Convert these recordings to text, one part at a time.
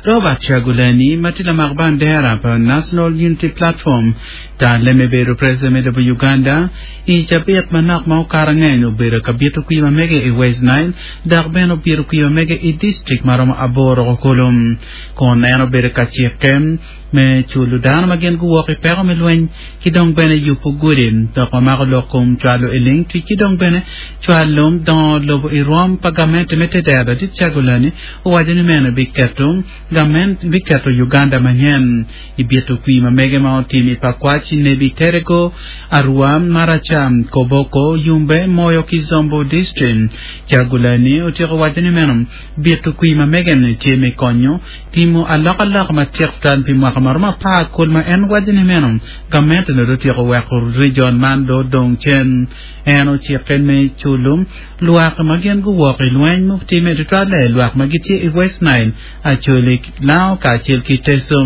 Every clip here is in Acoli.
Robert Kyagulanyi ma tye lamak bandera pa National Unity Platform talle me bedo president me lobo Uganda i cabit manok ma okato angec obedo ka bito kwir ma mege i West Nile dok bene obito kwir ma mege i district maromo aboro kulu kun en obedo ka cikke me culo dano ma gin guwok i peko me lweny ki dong bene yubo gudi dok wamako lok kom cwalo i ling tic ki dong bene cwalo dongo lobo i rwom pa gamente me tedero. Ladit Kyagulanyi owaco ni meno biketo gament biketo Uganda manyen i bito kwir ma mege ma otim i Pakwach, Nebi Terego, Arua, Maracha, Koboko, Yumbe, Moyo ki Zombo District. Kyagulanyi otyeko waco ni meno bito kwir ma mege-ni tye me konyo Timo alokaloka matek tutwal pi mwaka maromo apar kul ma en waco ni meno gamente onongo dong otyeko weko region man dong odong cen. En ocikke me culo lwak ma gin guwok i lweny mutimme tutwalle lwak ma gitye i West Nile, Acholi, Lango kacel ki Teso.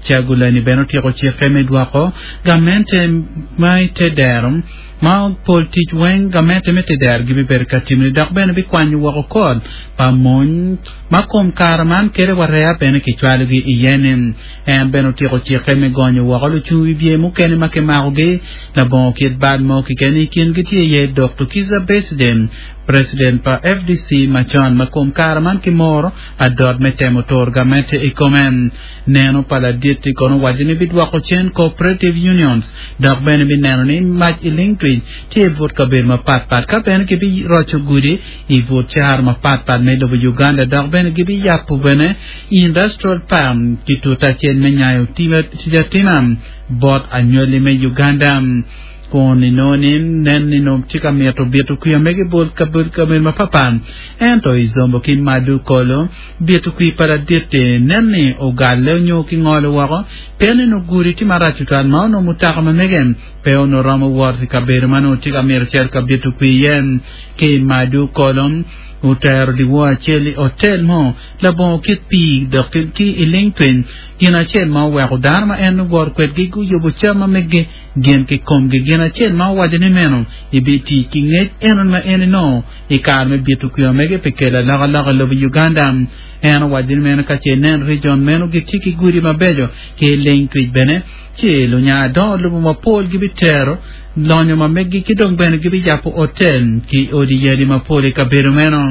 Kyagulanyi bene otyeko cikke me dwoko gamente ma i te dero ma pol tic weng gamente me te dero gibibedo ka timone dok bene bikwanyo woko kod pa mony ma kom kare man kede wa rea bene kicwalogi iye-ni. En bene otyeko cikke me gonyo woko lucung wibye mukene ma kimakogi labongo kit bal mo keken. I kingi tye iye Dokto Kizza Besigye, President pa FDC macon ma kom kare man kimoro adot me temo turo gamente i kome. Neno pa ladit-ti kono owaco ni bidwoko cen cooperative unions dok bene bineno ni mac i ling twic tye i but kabedo mapat pat ka bene kibiroco gudi i but caro mapat pat me lobo Uganda dok bene gibiyabo bene Industrial Park ki tuta acel me nyayo tic atima bot anywali me Uganda. Kun inongo ni nen ni nongo tye ka mito bito kwir mege bot kabedo mapapat ento i Zombo ki Madu Kolo bito kwir pa ladit-ti nen ni ogalle nyo kingolo woko pien ni nongo gudi tye marac tutwal ma onongo mutoka ma mege pe onongo romo wot i kabedo ma nongo tye ka mito cito ka bito kwir iye. Ki i Madu Kolo otero dyewor acel i otel mo labongo kit pii dok ki i ling piny. Gin acel ma oweko dano ma en owoto kwedgi guyubo cam ma meggi gin ki komgi. Gin acel ma owaco ni meno ibitic ki ngec enoni ma en enongo i kare me bito kwir mege pi kelo alokaloka i lobo Uganda. En owaco ni meno ka ce inen region meno gitye ki gudi mabeco ki ling twic bene ci lunya dongo lobo mapol gibitero lonyo ma meggi ki dong bene gibiyabo otel ki odi yadi mapol i kabedo meno.